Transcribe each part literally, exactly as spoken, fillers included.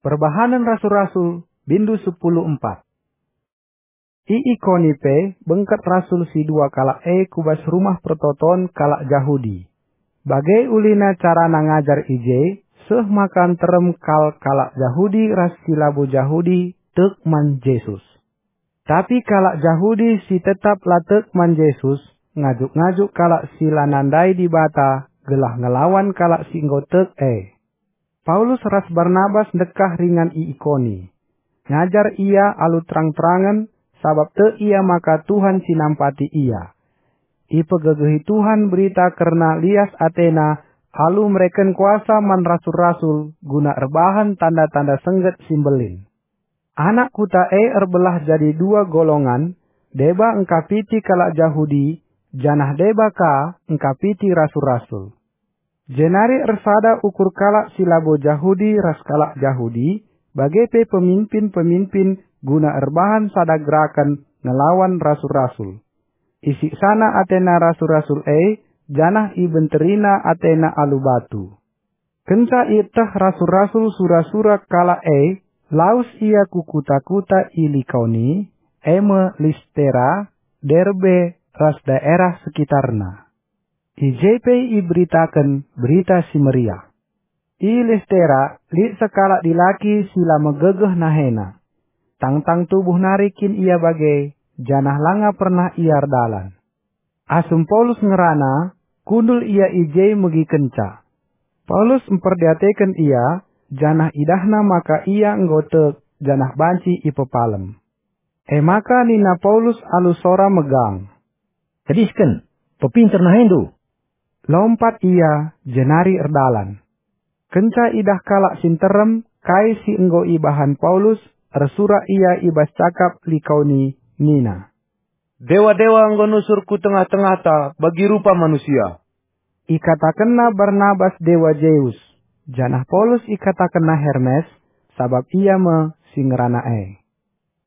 Perbahanen Rasul-Rasul, bindu sepuluh empat. I Ikoni pe bengket rasul si dua kalak e ku bas rumah pertoton kalak Jahudi. Bage ulina carana ngajar i je, seh maka nterem kal kalak Jahudi ras si labo Jahudi tek man Jesus. Tapi kalak Jahudi si tetap la tek man Jesus, ngajuk-ngajuk kalak si la nandai Dibata gelah ngelawan kalak si enggo tek e. Paulus ras Barnabas ndekah ringan i Ikoni. Ngajar ia alu terang-terangen, sabap tek ia maka Tuhan si nampati ia. Ipegegehi Tuhan berita kerna lias atena alu mereken kuasa man rasul-rasul guna erbahan tanda-tanda sengget si mbelin. Anak kuta e erbelah jadi dua golongan, deba engkapiti kalak Jahudi, janah deba ka engkapiti rasul-rasul. Jenari ersada ukur kalak si labo Jahudi ras kalak Jahudi, bage pe peminpin-peminpin guna erbahan sada geraken ngelawan rasul-rasul. Isiksana atena rasul-rasul e, janah ibenterina atena alu batu. Kenca ieteh rasul-rasul sura-sura kalak e, lawes ia ku kuta-kuta i Likaoni, e me Listera, Derbe, ras daerah sekitarna. I je pe iberitaken Berita Si Meriah. I Listera lit sekalak dilaki si la megegeh nahena. Tangtang tubuh nari kin ia bage, janah langa pernah ia erdalan. Asum Paulus ngerana, kundul ia i je megikenca. Paulus mperdiateken ia, janah idahna maka ia enggo tek janah banci ipepalem. E maka nina Paulus alu sora megang, "Tedisken, pepinter nahendu!" Lompat ia, jenari erdalan. Kenca idah kalak si nterem kai si enggo ibahan Paulus, ersurak ia i bas cakap Likaoni, nina, "Dewa-dewa enggo nusur ku tengah-tengahta bagi rupa manusia." Ikatakenna Barnabas dewa Zeus, janah Paulus ikatakenna Hermes, sabap ia me si ngerana e.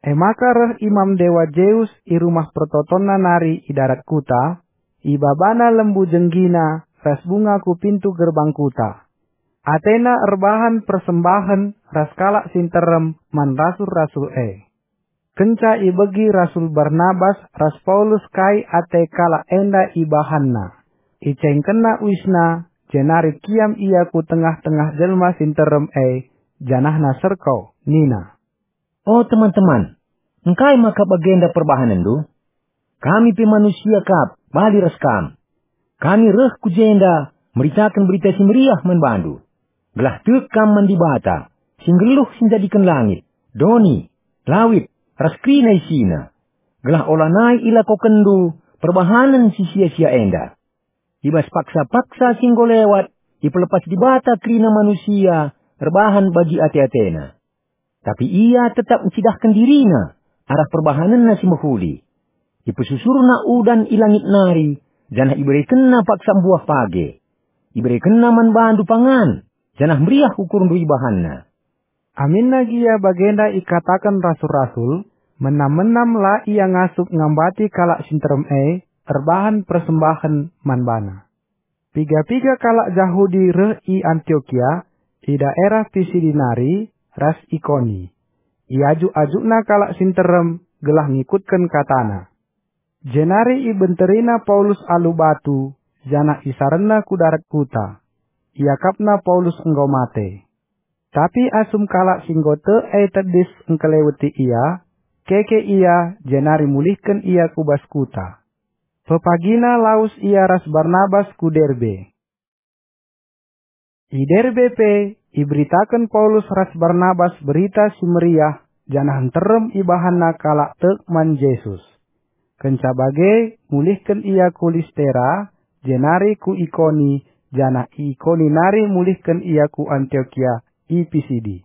E maka reh imam dewa Zeus i rumah pertotonna nari i darat kuta, ibabana lembu jenggina ras bunga ku pintu gerbang kuta. Atena erbahan persembahen ras kalak si nterem man rasul-rasul e. Kenca ibegi rasul Barnabas ras Paulus kai ate kalak enda ibahanna, icengkenna uisna, jenari kiam ia ku tengah-tengah jelma si nterem e, janahna serko, nina, "O teman-teman, engkai maka bagenda perbahanenndu? Kami pe manusia kap, bali ras kam. Kami reh ku jenda meritaken Berita Si Meriah man bandu, gelah tek kam man Dibata, si nggeluh si njadiken langit, doni, lawit, ras kerina isina, gelah olanai ilakokenndu perbahanen si sia-sia enda. I bas paksa-paksa si enggo lewat, ipelepas Dibata kerina manusia erbahan bagi ate-atena. Tapi ia tetap ncidahken dirina arah perbahanenna si mehuli. Ipesusurna udan i langit nari, janah iberekenna paksa mbuah page. Iberekenna man bandu pangan, janah meriah ukurndu ibahanna." Aminna gia bagenda ikataken rasul-rasul, menam-menam la ia ngasup ngambati kalak si nterem e erbahan persembahen man bana. Piga-piga kalak Jahudi reh i Antiokia, i daerah Pisidi nari, ras Ikoni. Iajuk-ajukna kalak si nterem gelah ngikutken katana. Jenari ibenterina Paulus alu batu, janah isarenna ku darat kuta. Iakapna Paulus enggo mate. Tapi asum kalak si enggo tek e tedis engkeleweti ia, keke ia, jenari mulihken ia ku bas kuta. Pepagina lawes ia ras Barnabas ku Derbe. I Derbe pe iberitaken Paulus ras Barnabas Berita Si Meriah, janah nterem ibahanna kalak tek man Jesus. Kenca bage, mulihken ia ku Listera, jenari ku Ikoni, janah i Ikoni nari mulihken ia ku Antiokia i Pisidi.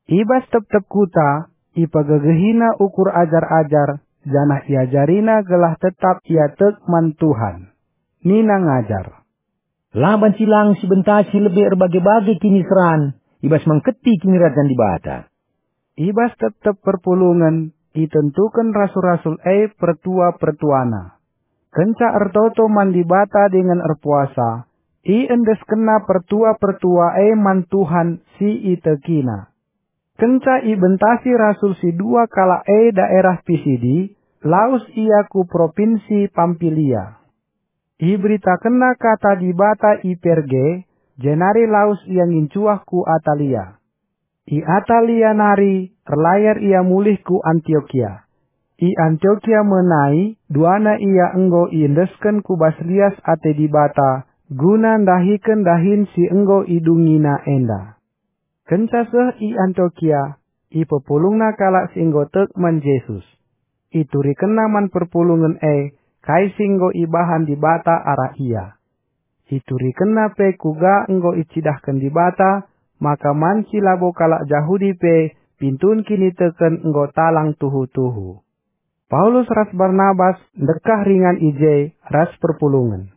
I bas tep-tep kuta, ipegegehina ukur ajar-ajar, janah iajarina gelah tetap ia tek man Tuhan. Nina ngajar, "La banci lang si bentasi lebe erbage-bage kiniseran i bas mengketi Kinirajan Dibata." I bas tep-tep perpulungen itentuken rasul-rasul e pertua-pertuana. Kenca ertoto man Dibata dingen erpuasa, iendeskenna pertua-pertua e man Tuhan si itekina. Kenca ibentasi rasul si dua kalak e daerah Pisidi, lawes ia ku propinsi Pampilia. Iberitakenna kata Dibata i Perge, jenari lawes ia ngincuah ku Atalia. I Atalia nari erlayar ia mulih ku Antiokia. I Antiokia menai duana ia enggo iendesken ku bas lias ate Dibata guna ndahiken dahin si enggo idungina enda. Kenca seh i Antiokia, ipepulungna kalak si enggo tek man Jesus. Iturikenna man perpulungen e kai si enggo ibahan Dibata arah ia. Iturikenna pe kuga enggo icidahken Dibata maka man si labo kalak Jahudi pe pintun kiniteken enggo talang tuhu-tuhu. Paulus ras Barnabas ndekah ringan i je ras perpulungen.